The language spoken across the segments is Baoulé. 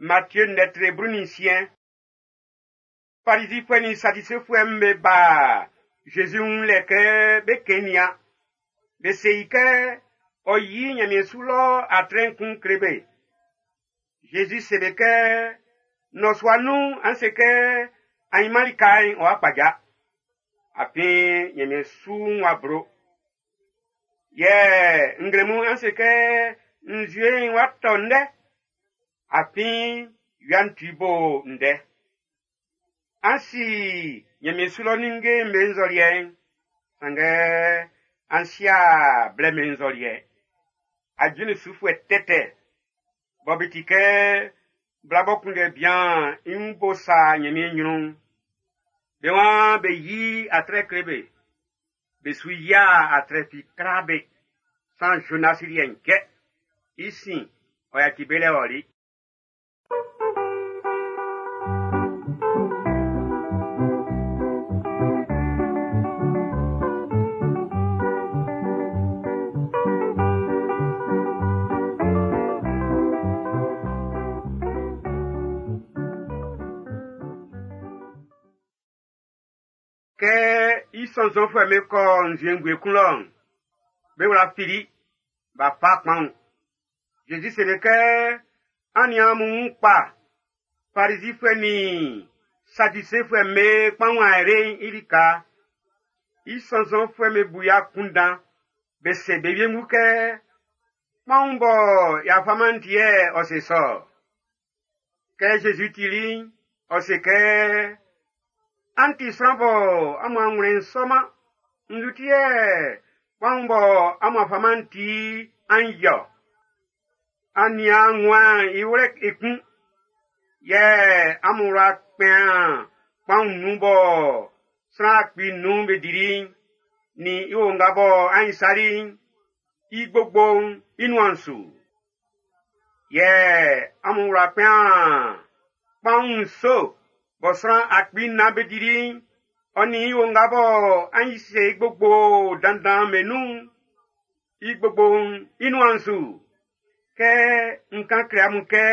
Matthieu ndɛ 16. Farizifuɛ nin Sadisefuɛ'm be ba Zezi wun lɛ kɛ be kɛn Be se i kɛ ɔ yi Ɲanmiɛn su lɔ atrɛ'n kun kle be. Zezi se be kɛ nnɔsua nun an se kɛ ainman lika'n ɔ'a kpaja. Afin Ɲanmiɛn su'n w'a blo. Yɛ nglɛmun an se kɛ nzue'n w'a tɔ ndɛ. Afin wia'n tu bo ndɛ. An si Ɲanmiɛn su lɔ ninnge'm be nzɔliɛ'n, sanngɛ an si'a blɛ be nzɔliɛ. Ajuin sufuɛ tɛtɛ, bɔ be ti kɛ bla bɔ kunndɛ bian i wun bo sa Ɲanmiɛn ɲrun'n. Be waan be yi atrɛ kle be. Be su yia atrɛ fi tra be. San Jonas liɛ'n kɛ. I sin, ɔ yaci be lɛ ɔli. Kɛ i sɔnnzɔnfuɛ'm be kɔ nzue ngue kun lɔ'n, be wla fili, b'a fa kpaun. Zezi seli kɛ, an nian amun wun kpa, Farizifuɛ nin Sadisefuɛ'm be kpaun ayre'n i lika. I sɔnnzɔnfuɛ'm be bu i akunndan, be se be wiengu kɛ, kpaun bɔ y'a faman ti yɛ ɔ se sɔ. Kɛ Zezi tili'n, ɔ se kɛ, an ti sran bɔ amun anwlɛn sɔman, nzu ti yɛ kpaun bɔ amun faman ti an yɔ. An nian nguan i wlɛ ekun, yɛ amun wla kpɛn kpaun nun bɔ sran 5,000 be dili'n, nin i onga bɔ an isali'n, i gbogbo'n i nuan su. Yɛ amun wla kpɛn kpaun 7 bɔ sran 4,000 be dili'n, ɔ nin i onga bɔ an ise i gbogbo dandan be nun'n, i gbogbo'n i nuan su. Kɛ n kan kle amun kɛ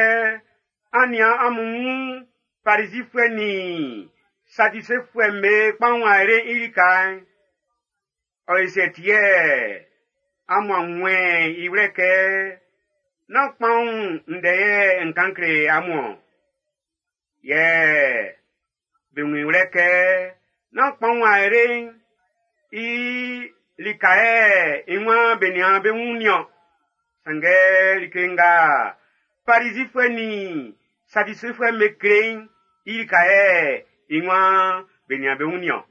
an nian amun wun Farizifuɛ nin Sadisefuɛ'm be kpaun ayre'n i lika'n, ɔ ese ti yɛ amun a wun i wlɛ kɛ nán kpaun ndɛ yɛ n kan kle amun-ɔn. Yɛ be wun i wlɛ kɛ nán kpaun ayre'n i lika yɛ i waan be nian be wun niɔn. Sanngɛ like nga Farizifuɛ nin Sadisefuɛ'm be kle'n i lika yɛ i waan be nian be wun niɔn.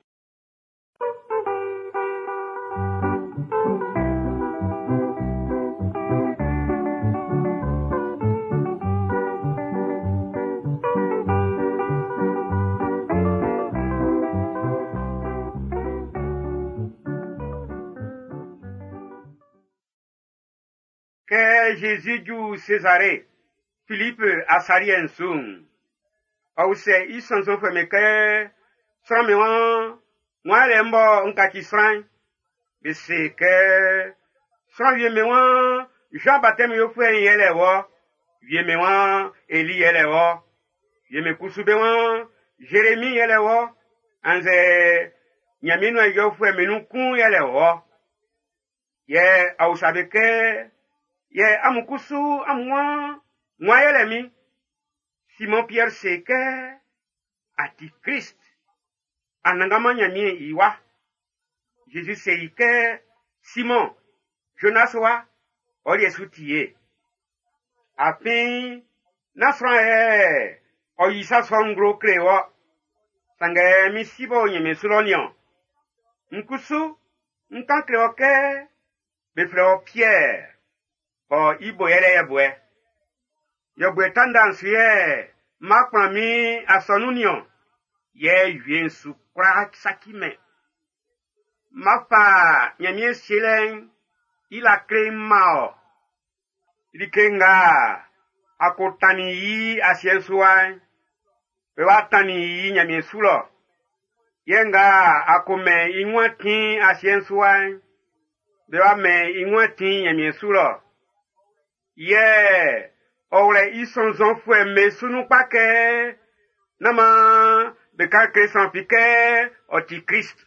Kɛ Jésus ju Césarée, Philippe asaliɛ'n su'n, ɔ usɛ i sɔnnzɔnfuɛ'm be kɛ, sran min wan, wan yɛlɛ m bɔ n kaci sran'n? Be se kɛ, sran wie min wan, Jean baptême yofuɛ'n yɛlɛ wɔ, wie min wan, Eli yɛlɛ wɔ, wie min kusu be wan, Jérémie yɛlɛ wɔ, annzɛ Ɲanmiɛn nuan ijɔfuɛ minnu kun yɛlɛ wɔ. Yɛ ɔ usa be kɛ, yɛ amun kusu amun wan, wan yɛlɛ min? Simon Pierre se kɛ, a ti Christ, Anannganman Ɲanmiɛn i wa. Jésus se i kɛ, Simon, Jonas wa, ɔ liɛ su ti ye. Afin, nán sran yɛ ɔ yi sa sɔ'n nglo kle wɔ. Sanngɛ min si b'ɔ o Ɲanmiɛn su lɔ niɔn. N kusu, n kan kle wɔ kɛ, be flɛ wɔ Pierre, ɔ i bo yɛlɛ yɛbuɛ. Yɛbuɛ tandan su yɛ ma kplan min asɔnun niɔn. Yɛ wie'n su kwla saci mɛn. Ma fa Ɲanmiɛn sielɛ'n i la kle ma ɔ. Like nga a ko tannin yi asiɛ'n su wa'n, be wa tannin yi Ɲanmiɛn su lɔ. Yɛ nga a ko mɛn i ŋua tin asiɛ'n su wa'n, be wa mɛn i ŋua tin Ɲanmiɛn su lɔ. Yɛ Ɔ wlɛ i sɔnnzɔnfuɛ'm be su nun kpa kɛ nán maan be kan kle sran fi kɛ ɔ ti Klist.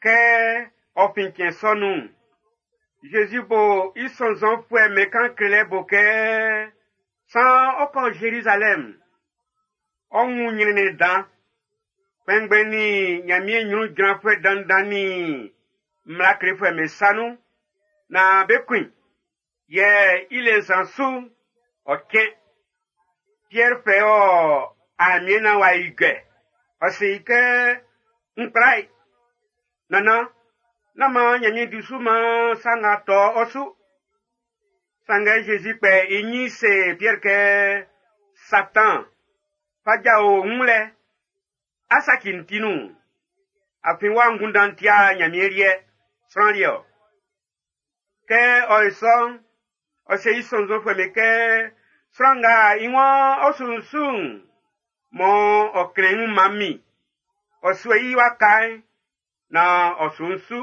Kɛ ɔ fin cɛn sɔ nun'n, Zezi bo i sɔnnzɔnfuɛ'm be kan klelɛ bo kɛ saan ɔ́ kɔ́ Zerizalɛm, ɔ́ wún ɲrɛnnɛn dan. Kpɛnngbɛn nin Ɲanmiɛn ɲrun jranfuɛ dandan nin mmla klefuɛ'm be sa nun naan be kun i. Yɛ i le nsan su'n, ɔ cɛn. Piɛr fɛ ɔ aamiɛn naan w'a ijɔ. Ɔ se i kɛ, n kpla i. Nannan, nán maan Ɲanmiɛn di su maan sa nga tɔ ɔ su. Sanngɛ Zezi kpɛ i ɲin se Piɛr kɛ, Satan, fa jao n wun lɛ. A saci n ti nun. Afin wɔ angunndan ti'a Ɲanmiɛn liɛ, sran liɛ ɔ. Kɛ ɔ yo sɔ'n, ɔ se i sɔnnzɔnfuɛ'm be kɛ, sran nga i waan ɔ su n su'n, mɔ ɔ klɛn i wun man min, ɔ suɛ i waka'n, naan ɔ su n su.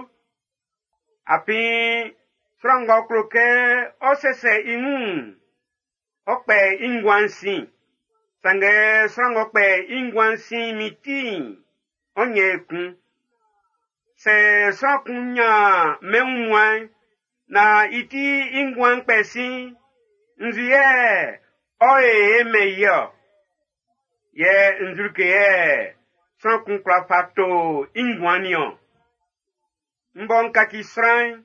Afin sran ng'ɔ klo kɛ ɔ sɛsɛ i wun'n, ɔ kpɛ i nguan'n sin. Sanngɛ sran ng'ɔ kpɛ i nguan'n sin min ti'n, ɔ ɲɛn i kun. Sɛ sran kun ɲan mɛn wunmuan'n, naan i ti i nguan'n kpɛ sin'n, nzu yɛ ɔ e mɛn i ɔ? Yɛ nzu like yɛ sran kun kwla fa to i nguan'n niɔn? N bɔ n kaci sran'n,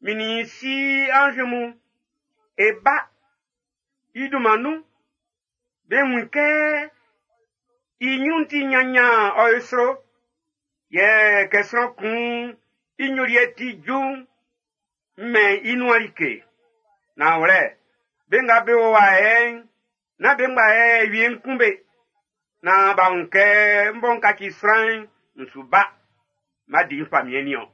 min nin si anz mun, e ba i dunman nun. Be wun kɛ i ɲrun ti ɲanɲan ɔ yo sro. Yɛ kɛ sran kun i ɲoliɛ ti ju'n, n mɛn i nuan like. Nanwlɛ, be nga be o wa yɛ'n, nán be ngba yɛ wie'n kún be. Naan b'a wun kɛ n bɔ n kaci sran'n, n su ba. Má di n famiɛn niɔn.